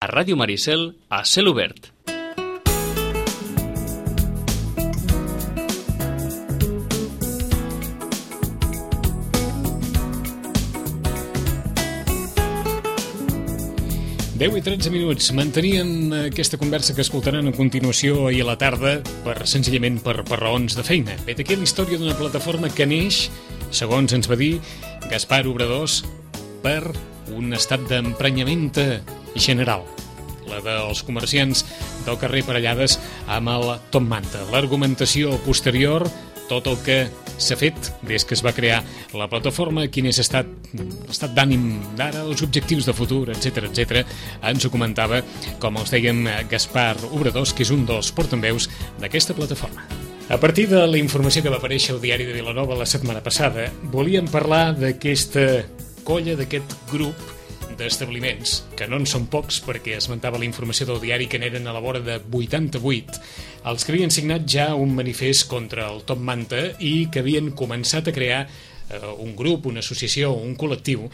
A Ràdio Maricel, a cel obert. Deu i 13 minuts. Manteníem aquesta conversa que escoltaran a continuació ahir a la tarda senzillament per raons de feina. Vet aquí la història d'una plataforma que neix, segons ens va dir Gaspar Obradors, per un estat d'emprenyament general, la dels comerciants del carrer Parellades amb el Top Manta. L'argumentació posterior, tot el que s'ha fet des que es va crear la plataforma, quin és l'estat d'ànim d'ara, els objectius de futur, etc. Ens ho comentava, com els dèiem, Gaspar Obradors, que és un dels portaveus d'aquesta plataforma. A partir de la informació que va aparèixer al diari de Vilanova la setmana passada, volíem parlar d'aquesta colla, d'aquest grup d'establiments, que no en són pocs, perquè esmentava la informació del diari que n'eren a la vora de 88, els que havien signat ja un manifest contra el Top Manta i que havien començat a crear un grup, una associació, un col·lectiu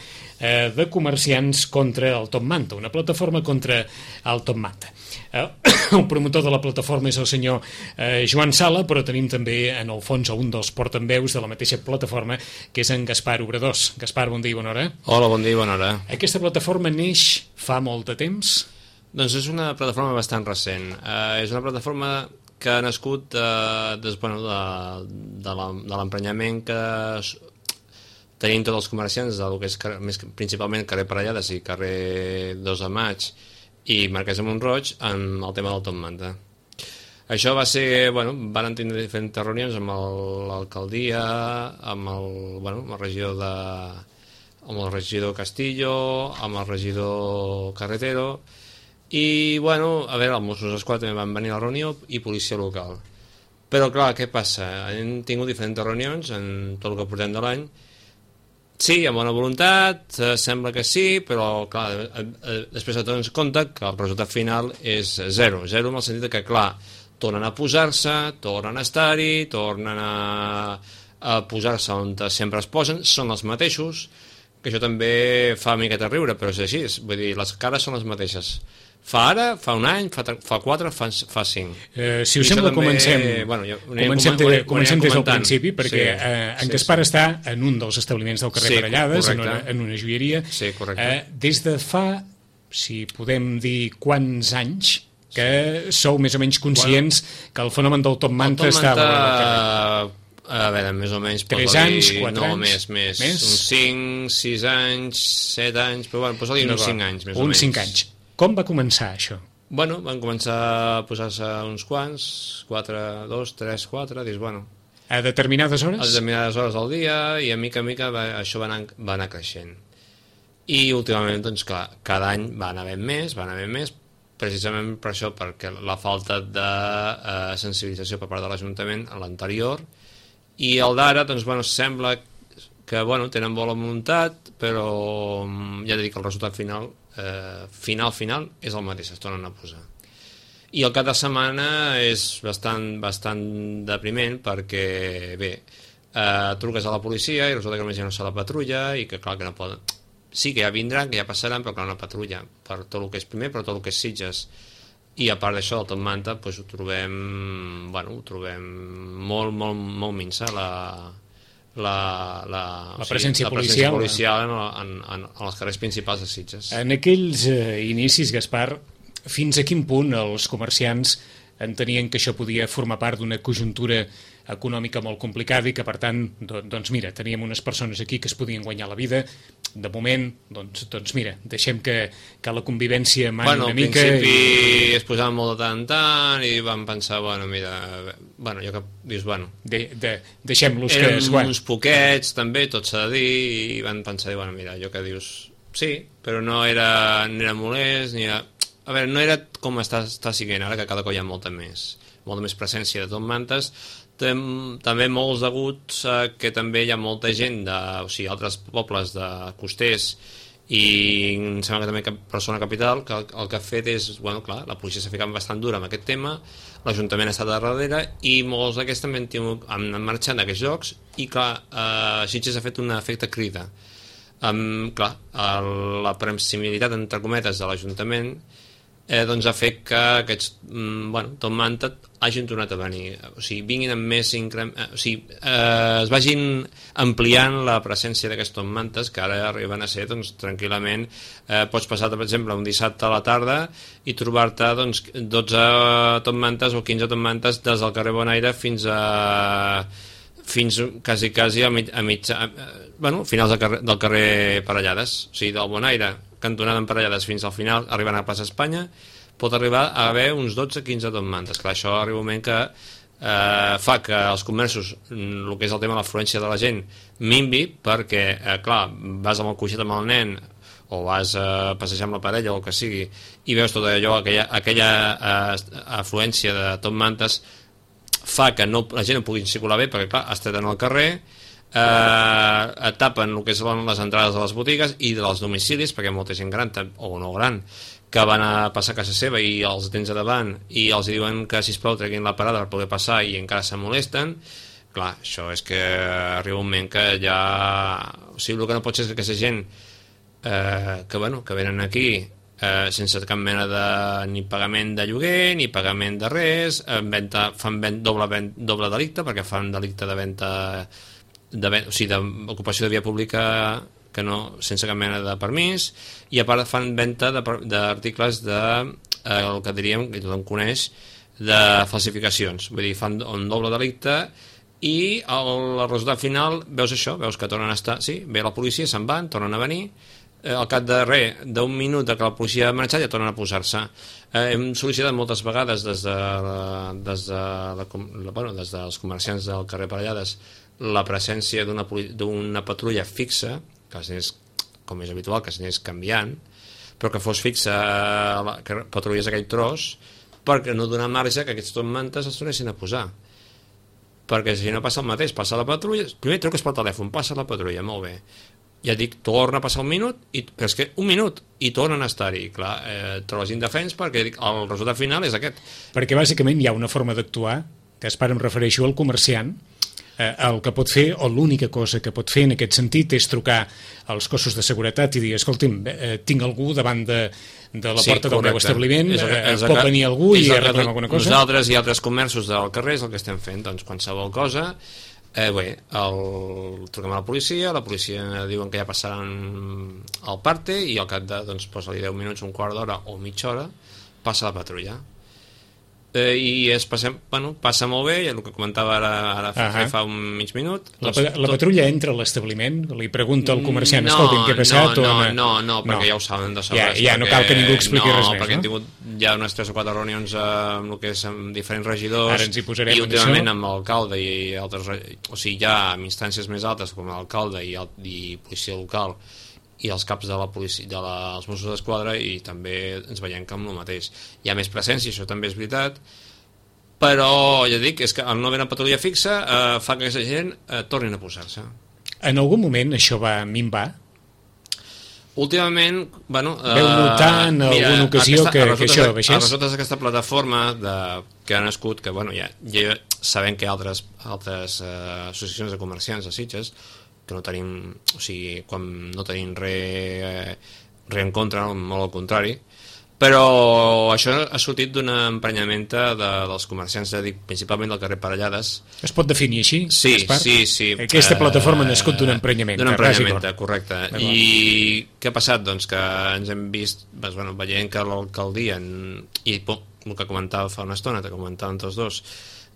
de comerciants contra el Top Manta, una plataforma contra el Top Manta. El promotor de la plataforma és el senyor Joan Sala, però tenim també en el fons un dels portaveus de la mateixa plataforma, que és en Gaspar Obradors. Gaspar, bon dia i bona hora. Hola, bon dia i bona hora. Aquesta plataforma neix fa molt de temps? Doncs és una plataforma bastant recent. És una plataforma que ha nascut de l'emprenyament que tenim tots els comerciants del que és principalment carrer Parellades i carrer 2 de Maig i Marquès de Mont-roig en el tema del Top Manta. Això va ser, van tenir diferents reunions amb l'alcaldia, amb el regidor Castillo, amb el regidor Carretero i, els Mossos d'Esquadra també van venir a la reunió i policia local. Però, clar, què passa? Hem tingut diferents reunions en tot el que portem de l'any. Sí, amb bona voluntat, sembla que sí, però, clar, després de tot ens compte que el resultat final és zero. Zero en el sentit que, clar, tornen a posar-se, tornen a estar-hi, tornen a posar-se on sempre es posen, són els mateixos, que això també fa una miqueta riure, però és així, vull dir, les cares són les mateixes. Fa ara, fa un any, fa 4, fa 5. Si us sembla, comencem des del principi, perquè en Gaspar està en un dels establiments del carrer Parellades, en una joieria. Sí, correcte. Des de fa, si podem dir, quants anys que sou més o menys conscients que el fenomen del Top Manta estava... A veure, més o menys... 3 anys, 4 anys? No, més. Uns 5, 6 anys, 7 anys... Però posa-li uns 5 anys, més o menys. Uns 5 anys. Com va començar això? Van començar a posar-se uns quants, 4, 2, 3, 4, dius, A determinades hores? A determinades hores del dia, i a mica això va anar creixent. I últimament, doncs clar, cada any va anar ben més, precisament per això, perquè la falta de sensibilització per part de l'Ajuntament en l'anterior, i el d'ara, doncs, sembla que, tenen bona voluntat, però ja dic que el resultat final és el mateix, es tornen a posar. I el cap de setmana és bastant depriment perquè, truques a la policia i resulta que només hi ha una sola patrulla i que, clar, que no poden... Sí, que ja vindran, que ja passaran, però clar, una patrulla per tot el que és primer, per tot el que és Sitges. I a part d'això, del Top Manta, doncs ho trobem molt minsa, la presència policial en els carrers principals de Sitges. En aquells inicis, Gaspar, fins a quin punt els comerciants entenien que això podia formar part d'una conjuntura econòmica molt complicada i que, per tant, doncs mira, teníem unes persones aquí que es podien guanyar la vida, de moment, doncs mira, deixem que la convivència mani una mica... Al principi es posaven molt de tant en tant i van pensar, deixem-los que es guanyin. Eren uns poquets, també, tot s'ha de dir, i van pensar, jo que dius, sí, però no era molest, ni era... A veure, no era com està siguent ara, que cada cop hi ha molta més presència de Top Mantes, també molts deguts que també hi ha molta gent altres pobles de costers i em sembla que també Barcelona capital, que el que ha fet és, clar, la policia s'ha ficat bastant dura amb aquest tema, l'Ajuntament ha estat darrere i molts d'aquests també han marxat d'aquests llocs i, clar, Sitges ha fet un efecte crida. Clar, la proximitat, entre cometes, de l'Ajuntament doncs ha fet que aquests Top Manta hagin tornat a venir, o sigui, vinguin amb més es vagin ampliant la presència d'aquests Top Mantes, que ara arriben a ser, doncs, tranquil·lament, pots passar, per exemple, un dissabte a la tarda i trobar-te, doncs, 12 Top Mantes o 15 Top Mantes des del carrer Bonaire fins quasi finals del carrer Parellades, o sigui, del Bonaire, cantonada en Parellades fins al final, arribant a Plaça Espanya, pot arribar a haver uns 12-15 Top Mantes. Clar, això arriba un moment que fa que els comerços, el que és el tema de l'afluència de la gent, minvi, perquè, clar, vas amb el coixet amb el nen o vas a passejar amb la parella o el que sigui i veus tot allò, aquella afluència de Top Mantes fa que la gent no pugui circular bé perquè, clar, es treten al carrer, tapen el que són les entrades de les botigues i dels domicilis, perquè molta gent gran o no gran que van a passar a casa seva i els tens a davant i els diuen que sisplau treguin la parada per poder passar i encara se molesten. Clar, això és que arriba un moment que ja... O sigui, el que no pot ser és que aquesta gent que venen aquí sense cap mena de ni pagament de lloguer ni pagament de res, fan doble delicte, perquè fan delicte de venda, o sigui, d'ocupació de via pública que no, sense cap mena de permís, i a part fan venda d'articles el que diríem, que tothom coneix, de falsificacions. Vull dir, fan un doble delicte i el resultat final veus això, veus que tornen a estar, sí, ve la policia, se'n van, tornen a venir, al cap de res, d'un minut que la policia ha marxat ja tornen a posar-se. Hem sol·licitat moltes vegades des dels comerciants del carrer Parellades la presència d'una patrulla fixa, que és com és habitual, que s'anés canviant, però que fos fixa, que patrullés aquell tros, perquè no donar marge que aquests Top Mantes es tornessin a posar. Perquè si no passa el mateix, passa la patrulla, primer truques pel telèfon, passa la patrulla, molt bé. Ja dic, torna a passar un minut, però és que un minut, i tornen a estar-hi. Clar, trobes indefens perquè el resultat final és aquest. Perquè bàsicament hi ha una forma d'actuar, que em refereixo al comerciant, el que pot fer, o l'única cosa que pot fer en aquest sentit és trucar als cossos de seguretat i dir, escolti'm, tinc algú davant de la porta del meu establiment, pot venir algú i arreglar alguna cosa? Nosaltres i altres comerços del carrer és el que estem fent, doncs qualsevol cosa, truquem a la policia diuen que ja passaran el parte i al cap de, doncs, posa-li 10 minuts, un quart d'hora o mitja hora, passa la patrulla. I passa molt bé, i el que comentava ara fa un mig minut. La patrulla entra a l'establiment, li pregunta al comerciant, escolti'm, què ha passat? No, perquè ja ho saben de sobres. Ja no cal que ningú expliqui res més, no? Perquè hem tingut ja unes 3 o 4 reunions amb el que és amb diferents regidors, ara ens hi posarem i últimament amb l'alcalde i altres, o sigui, ja amb instàncies més altes com l'alcalde i policia local i els caps de la policia, dels Mossos d'Esquadra, i també ens veiem que amb el mateix hi ha més presència, això també és veritat, però ja dic, és que el no haver una patrulla fixa fa que aquesta gent tornin a posar-se. En algun moment això va minvar? Últimament, veu notar en alguna ocasió que això baixés? A resultes d'aquesta plataforma que ha nascut, que ja sabem que hi ha altres associacions de comerciants de Sitges, que no tenim, o sigui, quan no tenim res en contra, molt al contrari, però això ha sortit d'una emprenyamenta dels comerciants, principalment del carrer Parellades. Es pot definir així? Sí. Aquesta plataforma ha nascut d'un emprenyament. D'un emprenyament, correcte. I què ha passat? Doncs que ens hem vist, veient que l'alcaldia, i el que comentava fa una estona, que comentaven tots dos,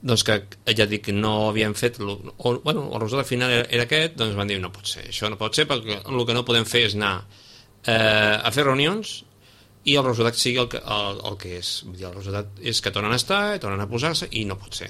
doncs que ja dic que no havien fet el resultat final era aquest, doncs van dir no pot ser, això no pot ser, perquè el que no podem fer és anar a fer reunions i el resultat sigui el que és. Vull dir, el resultat és que tornen a estar, tornen a posar-se i no pot ser.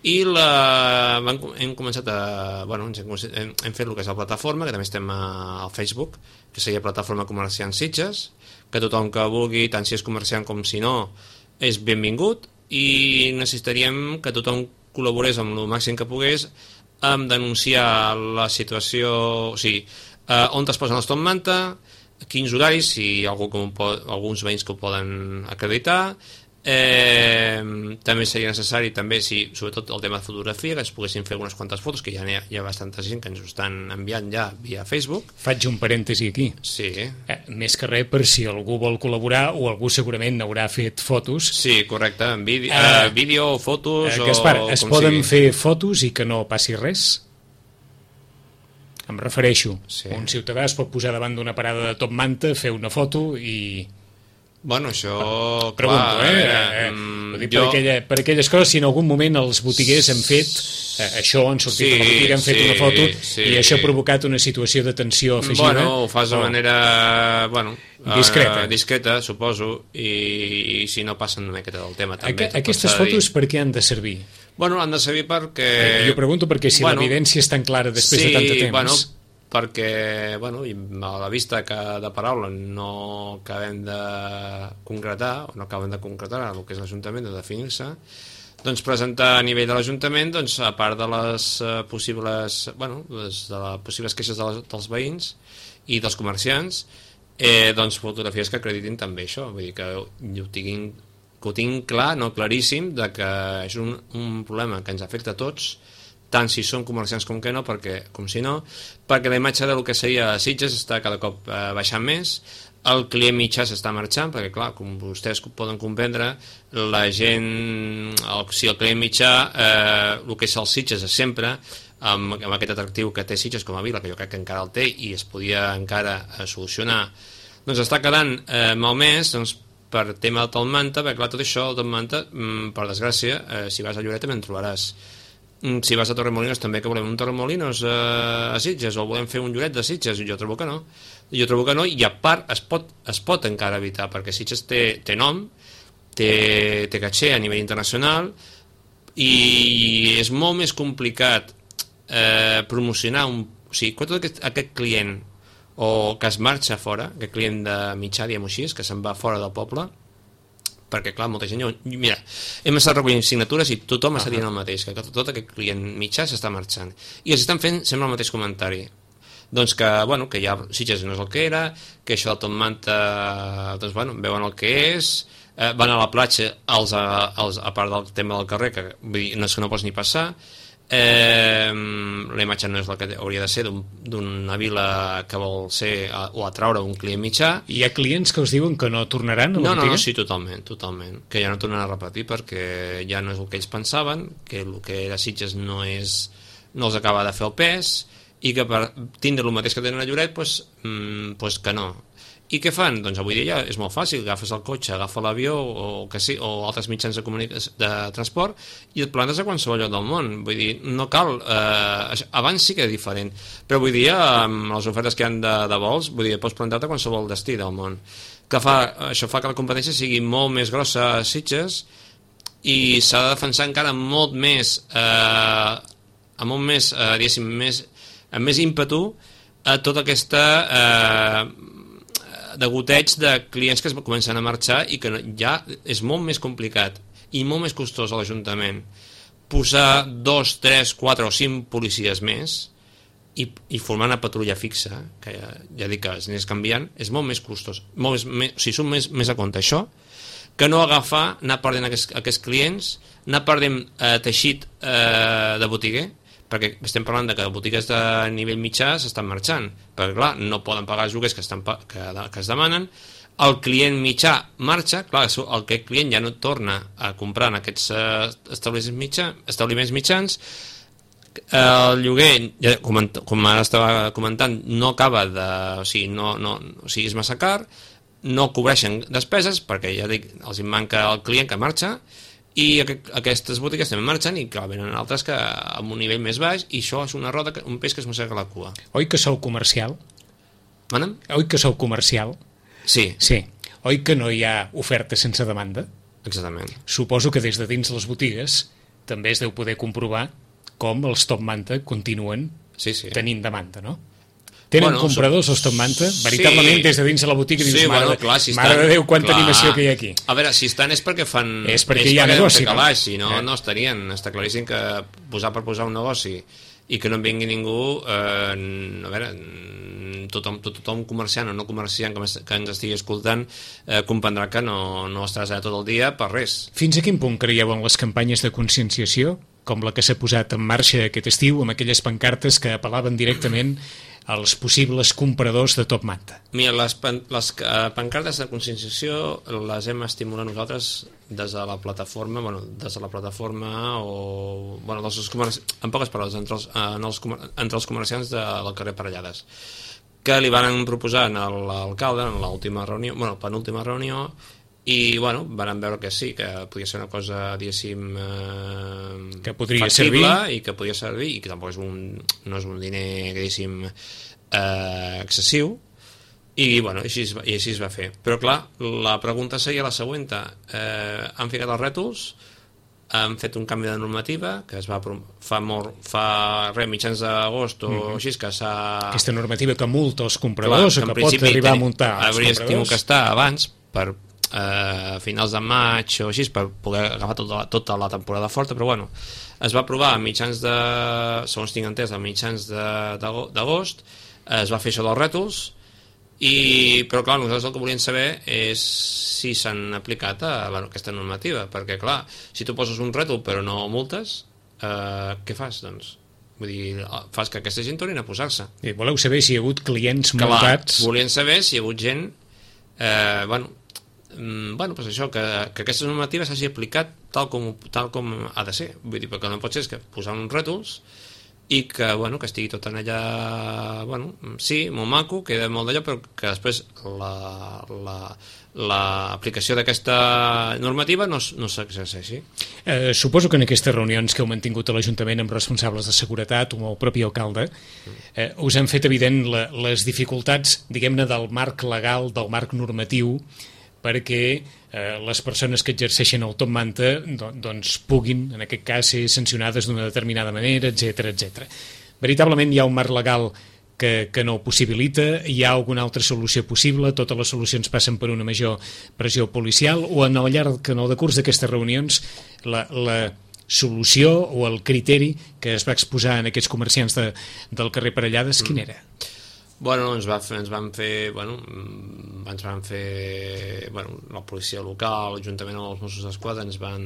I hem començat hem fet el que és la plataforma, que també estem al Facebook, que seria Plataforma Comerciant Sitges, que tothom que vulgui, tant si és comerciant com si no, és benvingut, i necessitaríem que tothom col·laborés amb el màxim que pogués amb denunciar la situació, o sigui, on es posen els Top Manta, quins horaris, si hi ha alguns veïns que ho poden acreditar, També seria necessari, també, sobretot el tema de fotografia, que ens poguessin fer unes quantes fotos, que ja hi ha bastanta gent que ens ho estan enviant ja via Facebook. Faig un parèntesi aquí. Sí. Més que res per si algú vol col·laborar, o algú segurament n'haurà fet fotos. Sí, correcte, en vídeo, fotos... Gaspar, es poden fer fotos i que no passi res? Em refereixo. Sí. Un ciutadà es pot posar davant d'una parada de Top Manta, fer una foto i... Bueno, això... Pregunto, per aquelles coses, si en algun moment els botiguers han fet això, han sortit a la botiga, han fet una foto i això ha provocat una situació de tensió afegida. Bueno, ho fas de manera... discreta, suposo, i si no passen una miqueta del tema també. Aquestes fotos per què han de servir? Bueno, han de servir perquè... Jo pregunto perquè si l'evidència és tan clara després de tant de temps... perquè, i a la vista que de paraula no acabem de concretar, o no acabem de concretar el que és l'Ajuntament, de definir-se, doncs presentar a nivell de l'Ajuntament, doncs, a part de les possibles queixes dels veïns i dels comerciants, doncs fotografies que acreditin també això, vull dir que ho tinc clar, no claríssim, de que és un problema que ens afecta a tots, tant si són comerciants com que no, perquè la imatge del que seria Sitges està cada cop baixant més, el client mitjà s'està marxant, perquè clar, com vostès poden comprendre, la gent, si el client mitjà, el que és el Sitges és sempre, amb aquest atractiu que té Sitges com a vila, que jo crec que encara el té i es podia encara solucionar, doncs està quedant malmès, doncs, per tema de Top Manta, perquè clar, tot això, el Top Manta, per desgràcia, si vas a Lloret també en trobaràs. Si vas a Torremolinos també, que volem un Torremolinos a Sitges, o volem fer un Lloret de Sitges, jo trobo que no, i a part es pot encara evitar, perquè Sitges té nom, té caché a nivell internacional, i és molt més complicat promocionar tot aquest client o que es marxa fora, aquest client de mitjà, diguem-ho així, que se'n va fora del poble, perquè clar, molta gent... Mira, hem estat recollint signatures i tothom està dient el mateix, que tot aquest client mitjà s'està marxant. I els estan fent sempre el mateix comentari. Doncs que ja Sitges no és el que era, que això del Top Manta, doncs veuen el que és, van a la platja a part del tema del carrer, que vull dir, no és que no pots ni passar, la imatge no és la que hauria de ser d'una vila que vol ser o atraure un client mitjà. Hi ha clients que us diuen que no tornaran a la botiga? No, sí, totalment, que ja no tornaran a repetir perquè ja no és el que ells pensaven, que el que era Sitges no els acaba de fer el pes i que per tindre el mateix que tenen a Lloret doncs que no. I què fan? Doncs avui dia és molt fàcil, agafes el cotxe, agafa l'avió o altres mitjans de transport i et plantes a qualsevol lloc del món. Vull dir, no cal... abans sí que és diferent, però avui dia amb les ofertes que hi ha de vols, vull dir, pots plantar-te a qualsevol destí del món. Això fa que la competència sigui molt més grossa a Sitges i s'ha de defensar encara molt més diguéssim, amb més ímpetu a tota aquesta... degoteig de clients que es comencen a marxar i que ja és molt més complicat i molt més costós a l'Ajuntament posar 2, 3, 4 o 5 policies més i formar una patrulla fixa, que ja dic que es n'és canviant, és molt més costós, surt més a compte això que no anar perdent aquests clients, anar perdent teixit de botiguer, perquè estem parlant que botigues de nivell mitjà s'estan marxant, perquè clar, no poden pagar els lloguers que es demanen, el client mitjà marxa, clar, aquest client ja no torna a comprar en aquests establiments mitjans, el lloguer, com ara estava comentant, no acaba de... O sigui, és massa car, no cobreixen despeses, perquè ja dic, els manca el client que marxa, i aquestes botigues també marxen i clar, venen altres que amb un nivell més baix i això és una roda, un peix que es mossega la cua. Oi que sou comercial? Manem? Oi que sou comercial? Sí. Oi que no hi ha oferta sense demanda? Exactament. Suposo que des de dins les botigues també es deu poder comprovar com els Top Manta continuen tenint demanda, no? Tenen compradors els Top Manta? Veritablement, des de dins de la botiga dius, mare de Déu, quanta animació que hi ha aquí. A veure, si estan és perquè fan... És perquè hi ha negoci, no? Si no estarien. Està claríssim que posar per posar un negoci i que no en vingui ningú, a veure, tothom comerciant o no comerciant que ens estigui escoltant comprendrà que no estaràs allà tot el dia per res. Fins a quin punt creieu en les campanyes de conscienciació, com la que s'ha posat en marxa aquest estiu, amb aquelles pancartes que apel·laven directament als possibles compradors de top manta? Mira, les pancartes de conscienciació les hem estimulat nosaltres des de la plataforma, en poques paraules, entre els comerciants del carrer Parellades, que li van proposar a l'alcalde en l'última reunió, penúltima reunió, i van veure que sí, que podia ser una cosa, diguéssim, que podria factible servir i que podia servir, i que tampoc no és un diner, diguéssim, excessiu, i així es va fer. Però clar, la pregunta seria la següent: han ficat els rètols, han fet un canvi de normativa que es va mitjans d'agost o així, que s'ha... Aquesta normativa que multa els compradors, que pot arribar a multar els hauria compradors. tingut que estar abans, per finals de maig o així, per poder agafar tota la temporada forta, però es va aprovar a mitjans de, segons tinc entès, a mitjans d'agost, es va fer això dels rètols, però clar, nosaltres el que volíem saber és si s'han aplicat aquesta normativa, perquè clar, si tu poses un rètol però no multes, què fas, doncs? Vull dir, fas que aquesta gent tornin a posar-se. I voleu saber si hi ha hagut clients multats? Volien saber si hi ha hagut gent pues això, que aquesta normativa s'hagi aplicat tal com ha de ser. Vull dir, perquè no pot ser que posar uns rètols i que estigui tot en allà, sí, molt maco, queda molt d'allò, però que després l'aplicació d'aquesta normativa no s'exerceixi. Suposo que en aquestes reunions que heu mantingut a l'Ajuntament amb responsables de seguretat o amb el propi alcalde us han fet evident les dificultats, diguem-ne, del marc legal, del marc normatiu, perquè les persones que exerceixen el top manta doncs puguin, en aquest cas, ser sancionades d'una determinada manera, etc. Veritablement hi ha un marc legal que no ho possibilita? Hi ha alguna altra solució possible? Totes les solucions passen per una major pressió policial? O en el llarg, en el decurs d'aquestes reunions, la solució o el criteri que es va exposar en aquests comerciants del carrer Parellades, quin era? Ens van fer la policia local, l'Ajuntament o els Mossos d'Esquadra ens van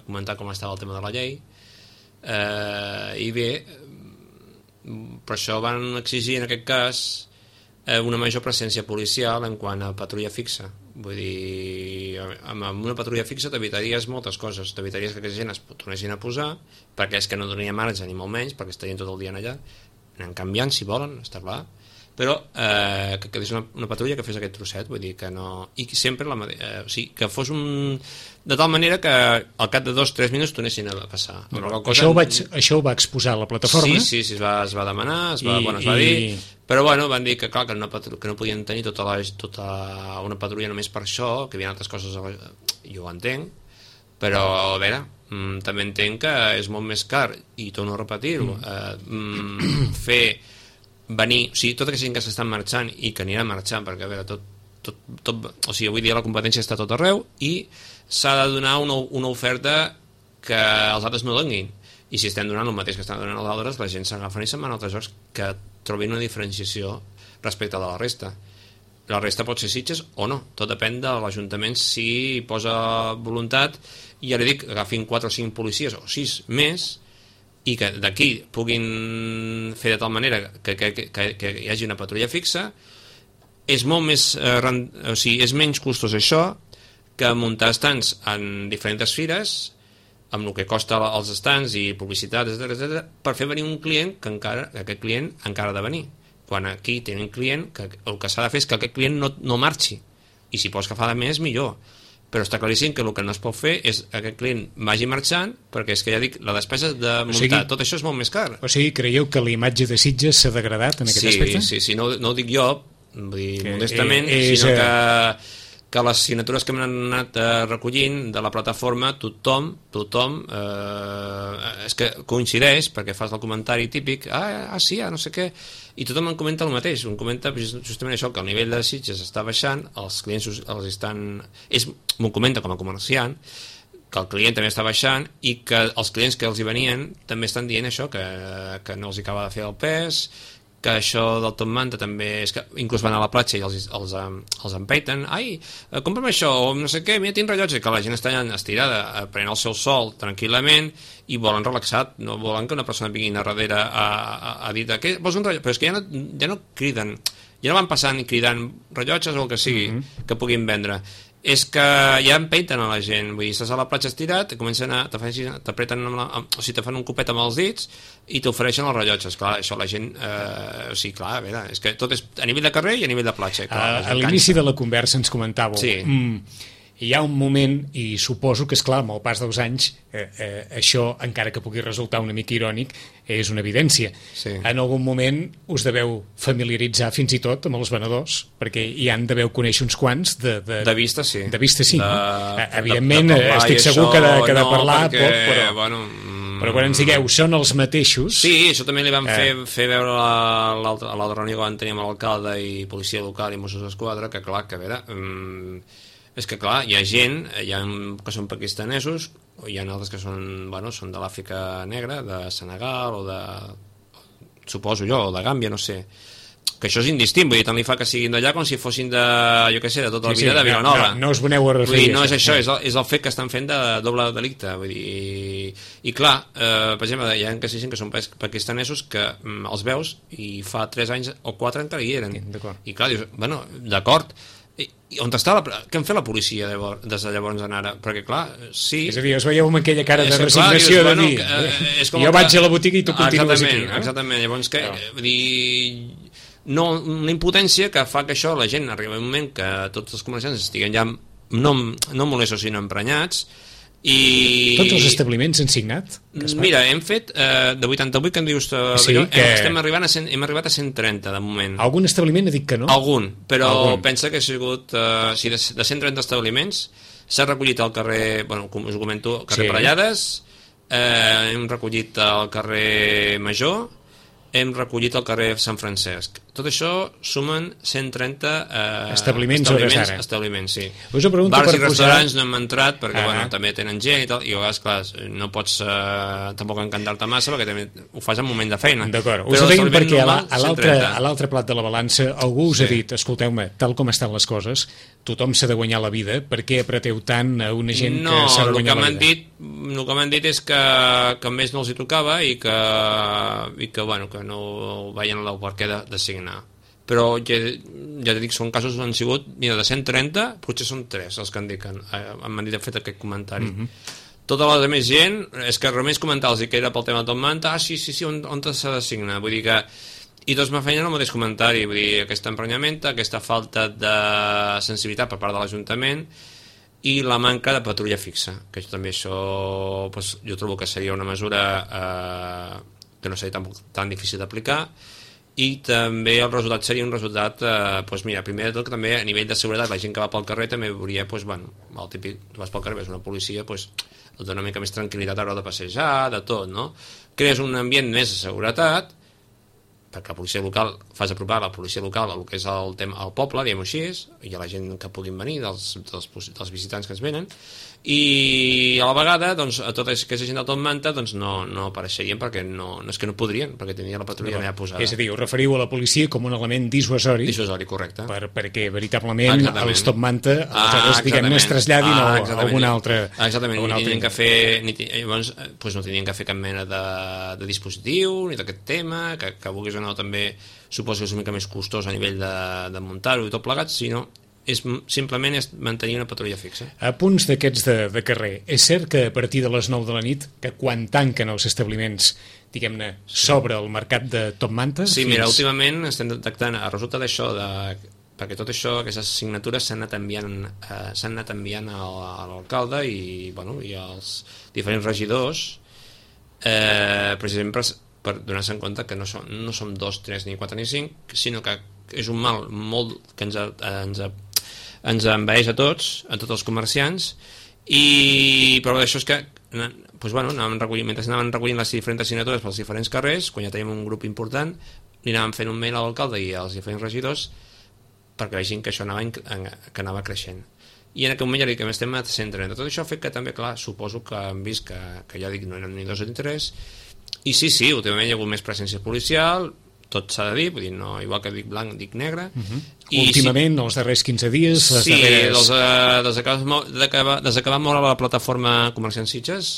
comentar com estava el tema de la llei, i bé, per això van exigir en aquest cas una major presència policial en quant a patrulla fixa. Vull dir, amb una patrulla fixa t'evitaries moltes coses, t'evitaries que aquesta gent es tornessin a posar, perquè és que no donaria marge ni molt menys, perquè estarien tot el dia allà, anem canviant si volen, està clar, però que quedés una patrulla que fes aquest trosset, vull dir que no... I sempre que fos de tal manera que al cap de 2 o 3 minuts tornessin a passar. Això ho va exposar la plataforma? Sí, es va demanar, es va dir, però van dir que clar, que no podien tenir tota una patrulla només per això, que hi havia altres coses, jo ho entenc, però a veure, també entenc que és molt més car, i torno a repetir-ho, fer venir, o sigui, tota aquesta gent que s'estan marxant i que anirà marxant, perquè a veure, o sigui, avui dia la competència està tot arreu i s'ha de donar una oferta que els altres no donin, i si estem donant el mateix que estan donant els altres, la gent s'agafen i se'n van a altres jocs que trobin una diferenciació respecte de la resta. La resta pot ser Sitges o no, tot depèn de l'Ajuntament si posa voluntat, i ja li dic, agafin 4 o 5 policies o 6 més, i que d'aquí puguin fer de tal manera que hi hagi una patrulla fixa. És molt més és menys costós això que muntar estants en diferents fires, amb el que costa els estants i publicitat, etc, per fer venir un client que aquest client encara ha de venir, quan aquí tenen un client que el que s'ha de fer és que aquest client no marxi, i si pots agafar de més millor, però està claríssim que el que no es pot fer és que aquest client vagi marxant, perquè és que ja dic, la despesa de muntar, tot això és molt més car. O sigui, creieu que la imatge de Sitges s'ha degradat en aquest aspecte? Sí, no ho dic jo, vull dir, modestament, sinó que les signatures que m'han anat recollint de la plataforma, tothom és que coincideix, perquè fas el comentari típic, sí, no sé què, i tothom em comenta el mateix, em comenta justament això, que el nivell de Sitges està baixant, els clients els estan... M'ho comenta com a comerciant, que el client també està baixant i que els clients que els hi venien també estan dient això, que no els hi acaba de fer el pes, que això del top manta també és que inclús van a la platja i els empeiten, ai, compra'm això, o no sé què, mira, tinc rellotge, que la gent està estirada, prenent el seu sol tranquil·lament i volen relaxat, no volen que una persona vingui a darrere a dir que vols un rellotge, però és que ja no criden, ja no van passant i cridant rellotges o el que sigui que puguin vendre, és que ja empeiten a la gent, vull dir, estàs a la platja estirat, comencen t'apreten o sigui, te fan un copet amb els dits i t'ofereixen els rellotges, clar, això la gent o sigui, clar, a veure, és que tot és a nivell de carrer i a nivell de platja, clar, a l'inici de la conversa ens comentàveu hi ha un moment, i suposo que és clar, amb el pas dels anys això, encara que pugui resultar una mica irònic, és una evidència. En algun moment us deveu familiaritzar fins i tot amb els venedors, perquè hi han deveu conèixer uns quants de vista, sí. De vista, sí, no? Evidentment, estic segur que de parlar poc, però quan ens digueu, són els mateixos... Sí, això també li vam fer veure a l'altra reunió que vam tenir amb l'alcalde i policia local i Mossos d'Esquadra, que clar, que a veure... és que clar, hi ha gent, hi ha que són pakistanesos, o hi ha altres que són de l'Àfrica negra, de Senegal, o de... suposo jo, o de Gàmbia, no sé, que això és indistint, vull dir, tant li fa que siguin d'allà com si fossin de, jo què sé, de tota la vida de Vilanova. No us veneu a referir. No és això, és el fet que estan fent de doble delicte, vull dir... I clar, per exemple, hi ha que que són pakistanesos que els veus i fa 3 anys o 4 encara hi eren. I clar, dius, bueno, d'acord, i on està què en fet la policia des de llavors en ara? Perquè clar, sí... És a dir, us veieu amb aquella cara de resignació de dir jo vaig a la botiga i tu continues aquí. Exactament, llavors què? Vull dir... No, una impotència que fa que això, la gent arriba un moment que tots els comerciants estiguen ja no molestos sinó emprenyats i... Tots els establiments han signat? Mira, hem fet de 88 que em dius hem arribat a 130 de moment. Algun establiment ha dit que no? Algun, però pensa que ha sigut de 130 establiments s'ha recollit al carrer, bueno, com us ho comento, al carrer Parellades, hem recollit al carrer Major, hem recollit al carrer Sant Francesc. Tot això sumen 130 establiments hores d'ara. Establiments, sí. Bars i restaurants no hem entrat perquè bueno, també tenen gent i tal, i a vegades, clar, no pots tampoc encantar-te massa perquè també ho fas en moment de feina. D'acord, us ho deim perquè a l'altre plat de la balança algú us ha dit, escolteu-me, tal com estan les coses, tothom s'ha de guanyar la vida, per què apreteu tant a una gent que s'ha de guanyar la vida? No, el que m'han dit és que més no els hi tocava i que bueno, que no veien el perquè de signar. Però ja t'he dit, són casos que han sigut, mira, de 130, potser són 3 els que m'han dit, fet aquest comentari. Tota la més gent, és que només comentar-los que era pel tema del Top Manta, sí, on s'ha de signar? Vull dir que i tots me feien el mateix comentari, vull dir, aquest emprenyament, aquesta falta de sensibilitat per part de l'Ajuntament i la manca de patrulla fixa, que també això jo trobo que seria una mesura que no seria tan difícil d'aplicar, i també el resultat seria un resultat, mira, primer de tot que també a nivell de seguretat la gent que va pel carrer també veuria, bueno, el típic, tu vas pel carrer, ves una policia, et dona una mica més tranquil·litat a l'hora de passejar, de tot, no? Crees un ambient més de seguretat, perquè la policia local, fas apropar la policia local el que és el poble, diguem-ho així, i a la gent que puguin venir, dels visitants que es venen, i a la vegada doncs, a tota aquesta gent del Top Manta doncs, no apareixerien perquè no és que no podrien, perquè tenia la patrulla allà posada. És a dir, us referiu a la policia com un element dissuasori, correcte, perquè veritablement els Top Manta aleshores, diguem-ne, es traslladin a algun altre... Exactament, no tenien que fer cap mena de dispositiu ni d'aquest tema, que vulguis o no també suposo que és una mica més costós a nivell de muntar-ho i tot plegat, sinó simplement és mantenir una patrulla fixa. A punts d'aquests de carrer, és cert que a partir de les 9 de la nit, que quan tanquen els establiments, diguem-ne, s'obre el mercat de Top Manta? Sí, mira, últimament estem detectant, a resulta d'això, perquè tot això, aquestes signatures s'han anat enviant a l'alcalde i als diferents regidors, precisament per donar-se en compte que no som 2, 3, ni 4, ni 5, sinó que és un mal molt que ens envaeix a tots els comerciants, i però d'això és que mentre anaven recollint les diferents signatures pels diferents carrers, quan ja teníem un grup important, li anàvem fent un mail a l'alcalde i als diferents regidors perquè vegin que això anava creixent. i en aquell moment ja dic que estem a 130. Tot això ha fet que també, clar, suposo que han vist que ja dic no eren ni 2 ni 3, i sí, últimament hi ha hagut més presència policial, tot s'ha de dir, vull dir, no, igual que dic blanc, dic negre. I últimament, els darrers 15 dies... Sí, des que va moure la plataforma Comerciants Sitges,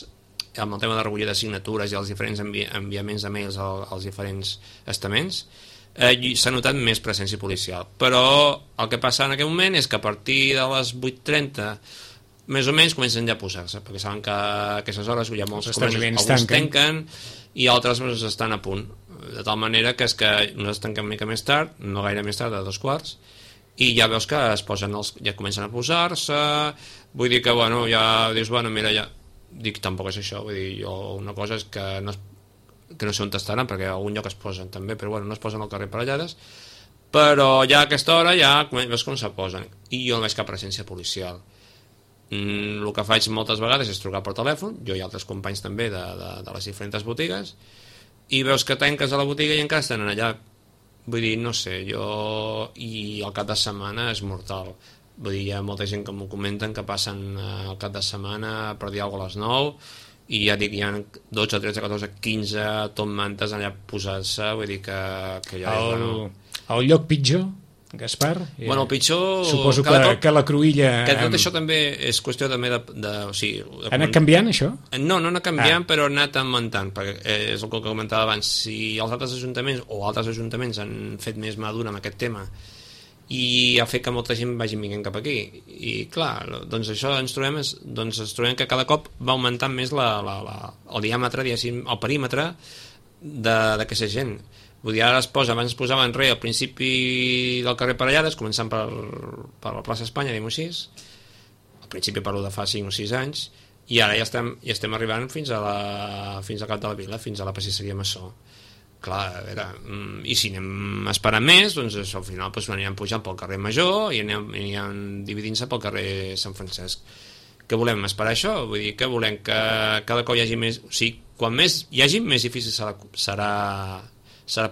amb el tema de recollida de signatures i els diferents enviaments de mails als diferents estaments, s'ha notat més presència policial. Però el que passa en aquest moment és que a partir de les 8:30 més o menys comencen ja a posar-se, perquè saben que a aquestes hores hi ha molts comerços, alguns tanquen i altres estan a punt, de tal manera que és que nosaltres tanquem una mica més tard, no gaire més tard, a 2:15, i ja veus que es posen ja comencen a posar-se, vull dir que bueno, ja dius, bueno, mira, ja dic, tampoc és això, vull dir, jo una cosa és que no sé on estaran, perquè a algun lloc es posen també, però bueno, no es posen al carrer parellades, però ja a aquesta hora ja veus com se posen, i jo no veig cap presència policial. El que faig moltes vegades és trucar per telèfon, jo i altres companys també de les diferents botigues, i veus que tanques a la botiga i encara estan allà. Vull dir, no sé, i el cap de setmana és mortal. Vull dir, hi ha molta gent que m'ho comenten que passen el cap de setmana per dir alguna cosa a les 9, i ja dic, hi ha 12, 13, 14, 15 top mantes allà posats-se, vull dir que ja... El lloc pitjor, Gaspar? Bueno, el pitjor... Suposo que la cruïlla... Que tot això també és qüestió també de ha anat canviant, això? No ha anat canviant, però ha anat augmentant, perquè és el que comentava abans. Si els altres ajuntaments o altres ajuntaments han fet més mà dura amb aquest tema i ha fet que molta gent vagi vinguent cap aquí, i clar, doncs això ens trobem que cada cop va augmentant més el diàmetre, diguéssim, el perímetre d'aquesta gent. Vull dir, ara abans es posava enrere al principi del carrer Parellades, començant per la plaça Espanya, diguem-ho així, al principi parlo de fa 5 o 6 anys, i ara ja estem arribant fins al cap de la vila, fins a la pastisseria Massó. Clar, a veure, i si anem esperant més, doncs al final anirem pujant pel carrer Major i anirem dividint-se pel carrer Sant Francesc. Què volem, esperar això? Vull dir, que volem que cada cop hi hagi més... O sigui, quan més hi hagi, més difícil serà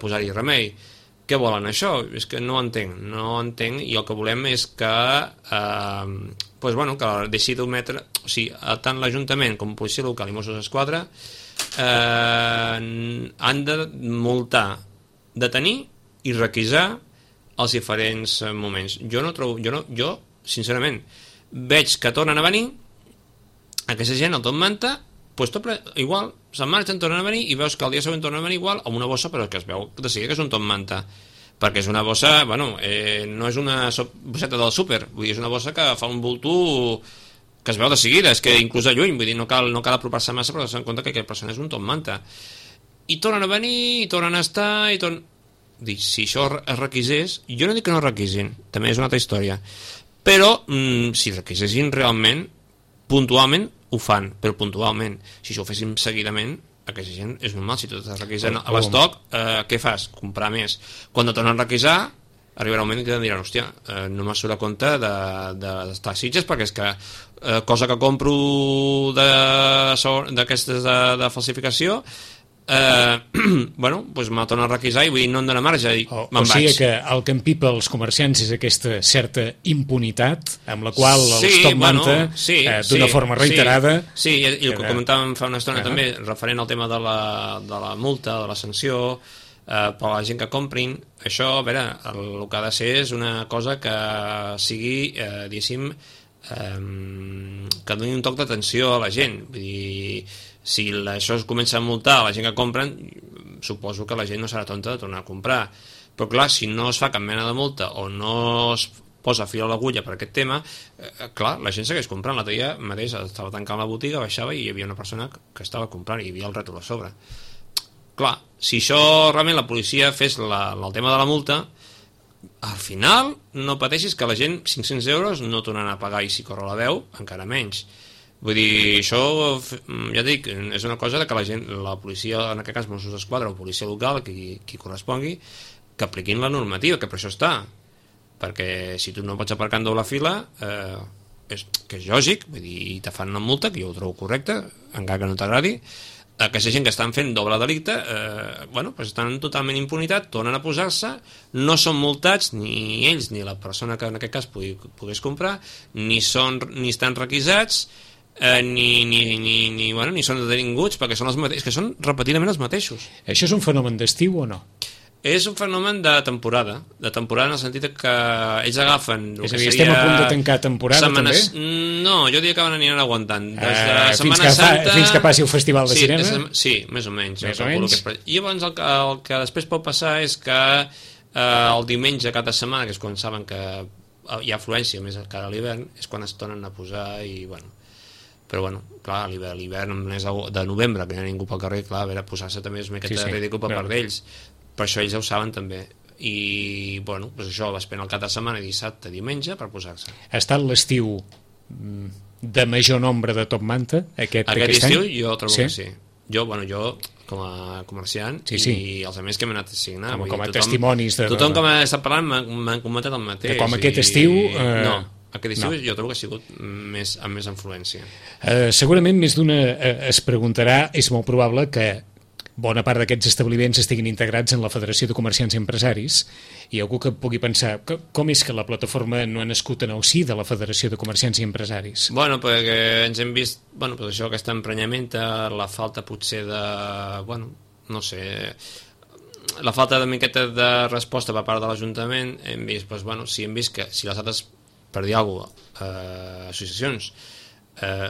posar-hi remei. Què volen això? És que no entenc, i el que volem és que que deixi d'ometre, o sigui, tant l'Ajuntament com Policia Local i Mossos d'Esquadra han de multar, detenir i requisar els diferents moments. Jo sincerament veig que tornen a venir aquesta gent al Top Manta, igual se'n marxen, tornen a venir i veus que el dia següent tornen a venir igual amb una bossa, però que es veu de seguida que és un Top Manta, perquè és una bossa, no és una bosseta del súper, vull dir, és una bossa que fa un bulto que es veu de seguida, és que inclús de lluny, vull dir, no cal apropar-se massa, però s'han compte que aquella persona és un Top Manta, i tornen a venir, i tornen a estar, dic, si això es requisés, jo no dic que no requisin, també és una altra història, però si requisessin realment, puntualment ho fan, però puntualment. Si això ho féssim seguidament, aquesta gent és normal. Si tu estàs requisant a l'estoc, què fas? Comprar més. Quan no tornen a requisar, arribarà un moment que diran, hòstia, no m'ha surt a compte d'estar a Sitges, perquè és que cosa que compro d'aquestes de falsificació, doncs me tornen a requisar i vull dir, no em dóna marge, i me'n vaig. O sigui que el que empipa els comerciants és aquesta certa impunitat amb la qual els Top Manta, d'una forma reiterada... Sí, i el que comentàvem fa una estona també, referent al tema de la multa, de la sanció, per a la gent que comprin, això, a veure, el que ha de ser és una cosa que sigui, diguéssim, que doni un toc d'atenció a la gent. Vull dir, si això es comença a multar a la gent que compren, suposo que la gent no serà tonta de tornar a comprar, però clar, si no es fa cap mena de multa o no es posa fil a l'agulla per aquest tema, clar, la gent segueix comprant. L'altre dia mateix estava tancant la botiga, baixava i hi havia una persona que estava comprant i hi havia el rètol a sobre. Clar, si això realment la policia fes el tema de la multa, al final no pateixis que la gent 500 euros no tornaran a pagar, i si corre la veu encara menys. Vull dir, això, ja dic, és una cosa que la policia, en aquest cas Mossos d'Esquadra o policia local, qui correspongui, que apliquin la normativa, que per això està. Perquè si tu no pots aparcar en doble fila, que és lògic, vull dir, te fan una multa, que jo ho trobo correcte, encara que no t'agradi, aquesta gent que estan fent doble delicte pues estan totalment impunitat, tornen a posar-se, no són multats ni ells ni la persona que en aquest cas pogués comprar, ni estan requisats, ni són detinguts, perquè són els mateixos, que són repetidament els mateixos. Això és un fenomen d'estiu o no? És un fenomen de temporada en el sentit que ells agafen... És a dir, estem a punt de tancar temporada, setmanes, també? No, jo diria que van aniran aguantant. Des de Setmana Santa... Fins que passi el Festival de Cinema? Sí, més o menys. Més o menys. I llavors el que després pot passar és que el diumenge cada setmana, que és quan saben que hi ha afluència més cara a l'hivern, és quan es tornen a posar i, però clar, l'hivern el mes de novembre, que no hi ha ningú pel carrer, clar, a veure, posar-se també és una miqueta ridícul per part d'ells. Per això ells ja ho saben també. I, doncs això, va esperar el cap de setmana, dissabte, diumenge, per posar-se. Ha estat l'estiu de major nombre de top manta, aquest estiu? Any? Jo trobo que sí. Jo, com a comerciant, i els amics que m'han anat a signar. Com a testimonis. Tothom que m'ha estat parlant m'han comentat el mateix. Com aquest estiu... No, aquest estiu jo trobo que ha sigut amb més influència. Segurament més d'una es preguntarà, és molt probable que bona part d'aquests establiments estiguin integrats en la Federació de Comerciants i Empresaris, i algú que pugui pensar com és que la plataforma no ha nascut en el si de la Federació de Comerciants i Empresaris? Perquè ens hem vist, doncs això, aquesta emprenyamenta, la falta potser de, no sé, la falta de miqueta de resposta per part de l'Ajuntament, hem vist, si hem vist que si les altres, per dir alguna cosa, associacions,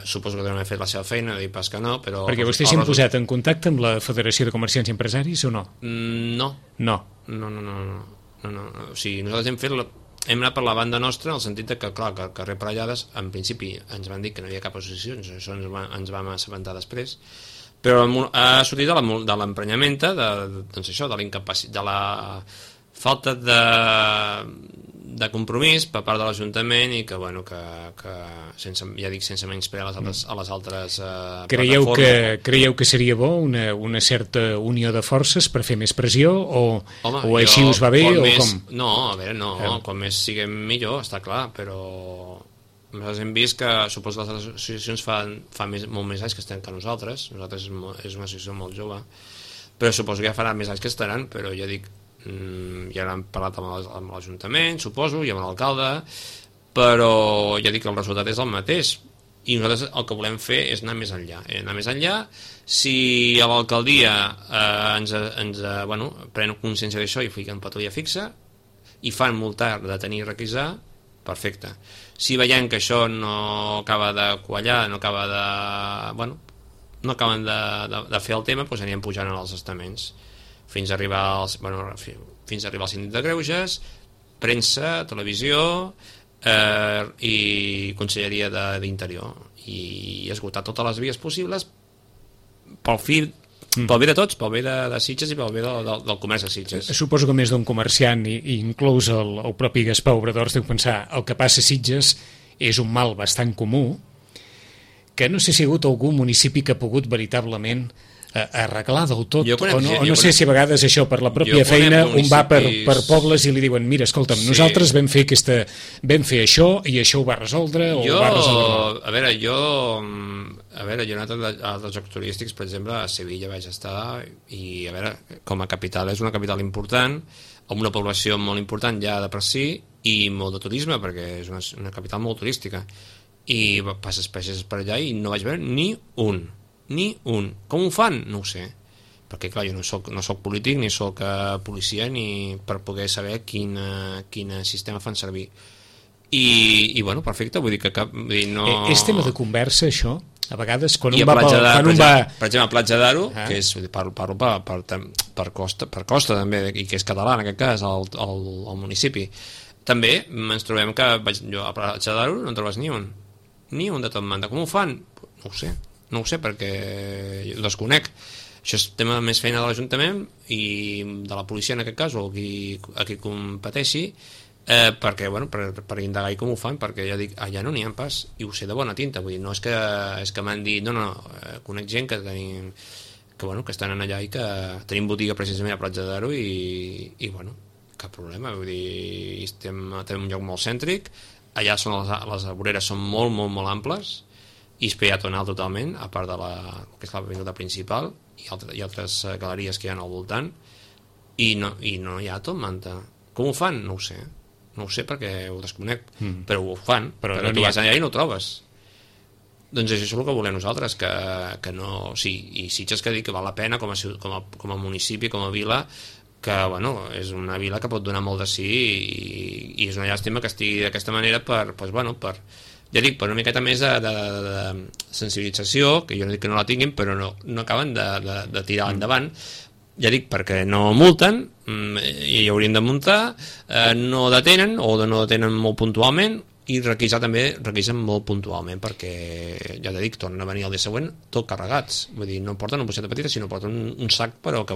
suposo que deuen haver fet la seva feina, dir pas que no, però... Perquè vostès s'han posat en contacte amb la Federació de Comerciants i Empresaris o no? No. O sigui, nosaltres hem anat per la banda nostra en el sentit que, clar, que al carrer Parellades en principi ens van dir que no hi havia cap associació, això ens vam assabentar després, però ha sortit de l'emprenyamenta, doncs això, de l'incapacitat, de la falta de compromís per part de l'Ajuntament i que sense menysprear a les altres plataformes. Creieu que seria bo una certa unió de forces per fer més pressió o així us va bé o com? No, a veure, com més siguem millor, està clar, però nosaltres hem vist que suposo que les associacions fa molt més anys que estem que nosaltres és una associació molt jove, però suposo que ja farà més anys que estaran, però ja dic, ja n'hem parlat amb l'Ajuntament, suposo, i amb l'alcalde, però ja dic que el resultat és el mateix i nosaltres el que volem fer és anar més enllà. Si a l'alcaldia pren consciència d'això i fiquen patrulla fixa i fan multar, detenir i requisar, perfecte. Si veiem que això no acaba de quallar, no acaben de fer el tema, doncs anirem pujant als estaments fins a arribar al síndic de Greuges, premsa, televisió i Conselleria d'Interior, i esgotar totes les vies possibles pel bé de tots, pel bé de Sitges i pel bé del comerç de Sitges. Suposo que més d'un comerciant, i inclús el propi Gaspar Obradors, deu pensar el que passa a Sitges és un mal bastant comú, que no sé si hi ha hagut algun municipi que ha pogut veritablement arreglar del tot, no sé si a vegades això per la pròpia feina un va per pobles i li diuen mira, escolta'm, nosaltres vam fer això i això ho va resoldre o ho va resoldre. A veure, jo he anat a dels jocs turístics, per exemple, a Sevilla vaig estar i a veure, com a capital és una capital important, amb una població molt important ja de per si i molt de turisme, perquè és una capital molt turística, i passes per allà i no vaig veure ni un. Com ho fan? No ho sé, perquè clar, jo no soc polític ni soc policia ni per poder saber quin sistema fan servir i perfecte, vull dir que no... És tema de conversa això? A vegades quan un va... Per exemple, a Platja d'Aro, que és, parlo per Costa també, i que és català en aquest cas, el municipi, també ens trobem que jo a Platja d'Aro no en trobes ni un de tot manda. Com ho fan? No ho sé perquè ho desconec. Això és tema més feina de l'Ajuntament i de la policia en aquest cas o a qui competeixi perquè, per indagar i com ho fan, perquè ja dic, allà no n'hi ha pas i ho sé de bona tinta, vull dir, no és que m'han dit, conec gent que tenim que estan allà i que tenim botiga precisament a Platja d'Aro i cap problema, vull dir, tenim un lloc molt cèntric, allà les voreres són molt, molt, molt amples i és peatonal totalment, a part de que és l'avinguda principal i altres galeries que hi ha al voltant, i no hi ha Top Manta. Com ho fan? No ho sé perquè ho desconec, però ho fan, però tu vas allà i no ho trobes. Doncs això és el que volem nosaltres, que no... Sí, i Sitges, que dic que val la pena com a municipi, com a vila, que bueno, és una vila que pot donar molt de sí, i és una llàstima que estigui d'aquesta manera per ja dic, per una miqueta més de sensibilització, que jo no dic que no la tinguin, però no acaben de tirar endavant, ja dic, perquè no multen, i haurien de multar, no detenen, o no detenen molt puntualment, i requisar també, requisen molt puntualment, perquè, ja t'he dit, tornen a venir el dia següent tot carregats, vull dir, no porten una boixeta petita, sinó porten un sac, però que,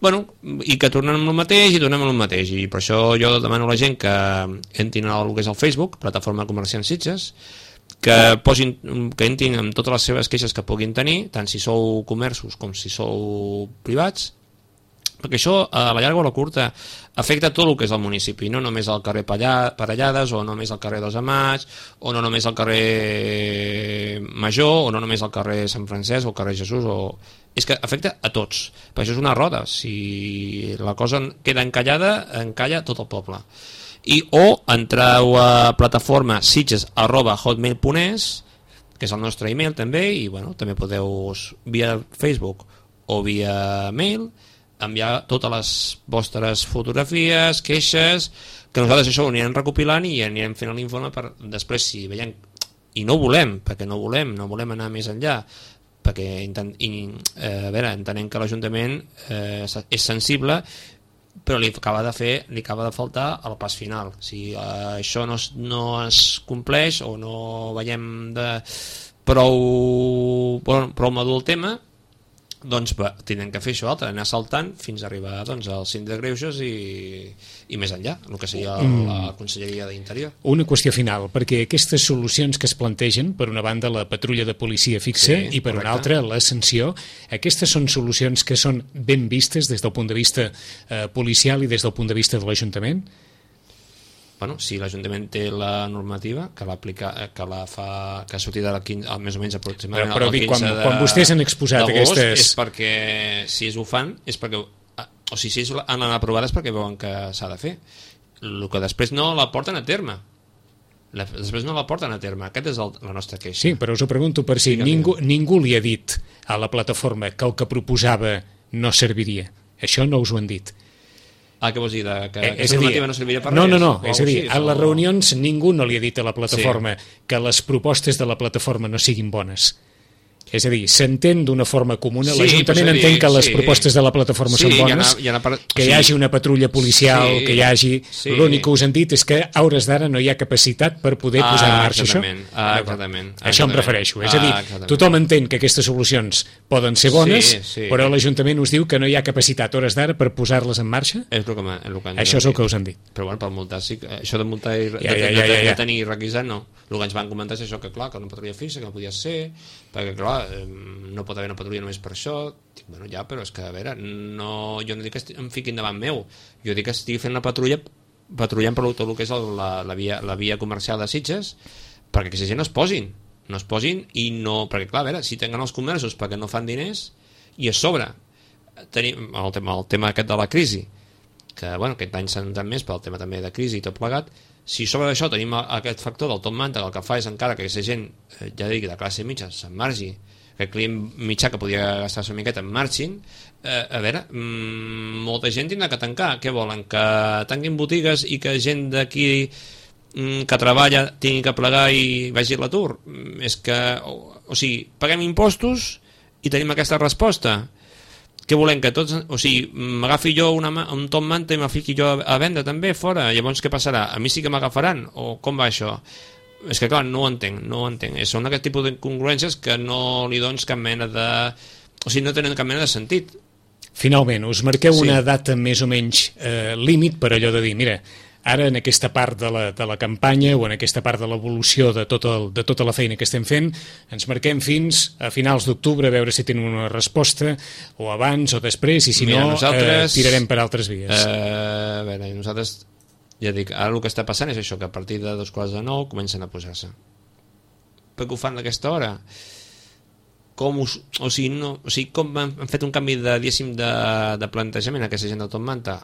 i que tornen amb el mateix i tornem amb el mateix, i per això jo demano a la gent que entrin al que és el Facebook, Plataforma Comerciant Sitges, que entrin amb totes les seves queixes que puguin tenir, tant si sou comerços com si sou privats, perquè això a la llarga o a la curta afecta tot el que és el municipi, no només al carrer Parellades, o no només al carrer dels Amats, o no només al carrer Major, o no només al carrer Sant Francesc o al carrer Jesús, és que afecta a tots, per això és una roda, si la cosa queda encalla tot el poble. O entreu a plataforma sitges@hotmail.es, que és el nostre email també, i també podeu via Facebook o via mail enviar totes les vostres fotografies, queixes, que nosaltres això ho anirem recopilant i anirem fent l'informe per després, si veiem, i no volem, perquè no volem anar més enllà, perquè entenem que l'Ajuntament és sensible, però li acaba de faltar el pas final. Si això no es compleix o no veiem prou madur el tema, doncs tenen que fer això altre, anar saltant fins a arribar al Síndic de Greuges i més enllà, el que seria la Conselleria d'Interior. Una qüestió final, perquè aquestes solucions que es plantegen, per una banda la patrulla de policia fixa i per una altra la sanció, aquestes són solucions que són ben vistes des del punt de vista policial i des del punt de vista de l'Ajuntament? Si l'Ajuntament té la normativa que ha sortit més o menys aproximadament el 15 de quan vostès han exposat aquestes... és perquè si ho fan és perquè, o si han anat aprovades perquè veuen que s'ha de fer, el que després no la porten a terme. Aquesta és la nostra queixa. Sí, però us ho pregunto per si ningú li ha dit a la plataforma que el que proposava no serviria. Això no us ho han dit. Què vols dir? Que aquesta normativa no serviria per res? No. És a dir, a les reunions ningú no li ha dit a la plataforma que les propostes de la plataforma no siguin bones. És a dir, s'entén d'una forma comuna, l'Ajuntament entén que les propostes de la plataforma són bones, que hi hagi una patrulla policial, que hi hagi... L'únic que us han dit és que a hores d'ara no hi ha capacitat per poder posar en marxa això. Exactament. Això em refereixo. És a dir, tothom entén que aquestes solucions poden ser bones, però l'Ajuntament us diu que no hi ha capacitat a hores d'ara per posar-les en marxa? Això és el que us han dit. Però per multar, això de multar i de tenir requisat, no. El que ens van comentar és això, que clar, que una patrulla fixa, que no podia ser, perquè clar, no pot haver una patrulla només per això. Dic, però és que, a veure, jo no dic que em fiquin davant meu, jo dic que estigui fent una patrullant per tot el que és la via comercial de Sitges, perquè aquesta gent no es posin i no, perquè clar, a veure, si tenen els comerços perquè no fan diners, i a sobre tenim el tema aquest de la crisi, que aquest any s'ha notat més pel tema també de crisi i tot plegat. Si sobre d'això tenim aquest factor del top manta, el que fa és encara que aquesta gent, ja dic, de classe mitja se'n margi, que el client mitjà que podia gastar-se una miqueta en marxin, a veure, molta gent tindrà que tancar. Què volen? Que tanquin botigues i que gent d'aquí que treballa tingui que plegar i vagi a l'atur? És que, o sigui, paguem impostos i tenim aquesta resposta. Què volem? Que tots, o sigui, m'agafi jo un top manta i me fiqui jo a vendre també fora, llavors què passarà? A mi sí que m'agafaran? O com va això? És que clar, no ho entenc. Són aquest tipus d'incongruències que no li dones cap mena de... O sigui, no tenen cap mena de sentit. Finalment, us marqueu una data més o menys límit per allò de dir, mira, ara en aquesta part de la campanya o en aquesta part de l'evolució de tota la feina que estem fent, ens marquem fins a finals d'octubre a veure si tenen una resposta, o abans o després, i si tirarem per altres vies. A veure, nosaltres, ja dic, ara el que està passant és això, que a partir de 8:45 comencen a posar-se. per què ho fan a aquesta hora? Com han fet un canvi de plantejament aquesta gent de Top Manta?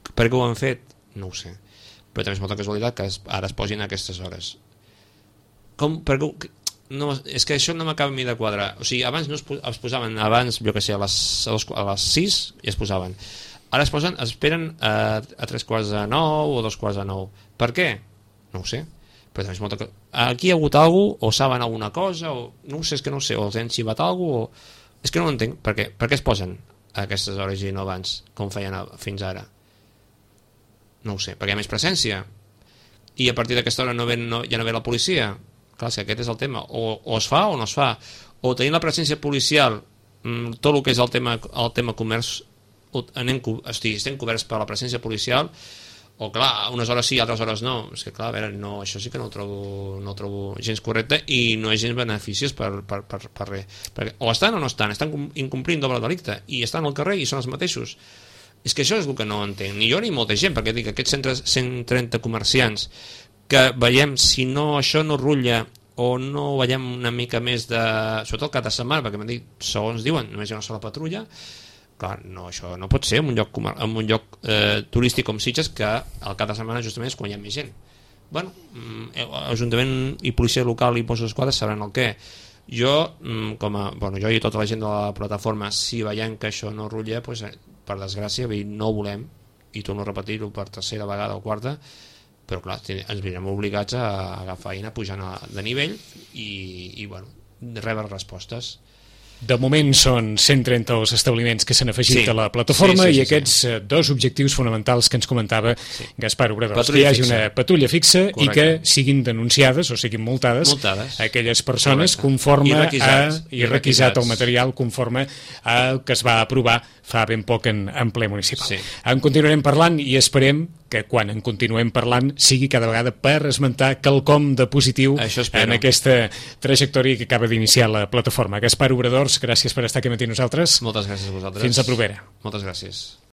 Per què ho han fet? No ho sé, però també és molta casualitat que ara es posin a aquestes hores. No, és que això no m'acaba a mi de quadrar. O sigui, abans no es posaven, abans, jo que sé, a les 6 i es posaven. Ara esperen a 8:45 o 8:45. Per què? No ho sé. Però també és molta... Aquí hi ha hagut alguna cosa, o saben alguna cosa, o no ho sé, és que no ho sé, o els han xivat alguna cosa, o... És que no ho entenc. Per què es posen a aquestes hores i no abans, com feien fins ara? No ho sé, perquè hi ha més presència. I a partir d'aquesta hora ja no ve la policia. Clar, és que aquest és el tema. O es fa o no es fa. O tenint la presència policial, tot el que és el tema comerç, estem coberts per la presència policial, o clar, unes hores sí, altres hores no. És que clar, a veure, no, això sí que no ho trobo gens correcte i no és gens beneficiós per res. Perquè o estan o no estan incomplint doble delicte i estan al carrer i són els mateixos. És que això és el que no entenc, ni jo ni molta gent, perquè dic, aquests 130 comerciants que veiem, si no això no rutlla o no veiem una mica més de... sobretot el cap de setmana, perquè m'han dit, segons diuen, només hi ha una sola patrulla, clar, no, això no pot ser en un lloc turístic com Sitges, que al cap de setmana justament és quan hi ha més gent. Bueno, Ajuntament i policia local i Mossos d'Esquadra sabran el què. Jo i tota la gent de la plataforma, si veiem que això no rutlla, doncs, per desgràcia no ho volem, i torno a repetir-ho per tercera vegada o quarta, però clar, ens veurem obligats a agafar feina pujant de nivell i rebre respostes. De moment són 130 els establiments que s'han afegit a la plataforma i aquests dos objectius fonamentals que ens comentava Gaspar Obradors, que hi hagi una patrulla fixa. Correcte. I que siguin denunciades o siguin multades aquelles persones conforme i requisat el material conforme al que es va aprovar fa ben poc en ple municipal. En continuarem parlant i esperem que quan en continuem parlant sigui cada vegada per esmentar quelcom de positiu en aquesta trajectòria que acaba d'iniciar la plataforma. Gaspar Obradors, gràcies per estar aquí amb nosaltres. Moltes gràcies a vosaltres. Fins la propera. Moltes gràcies.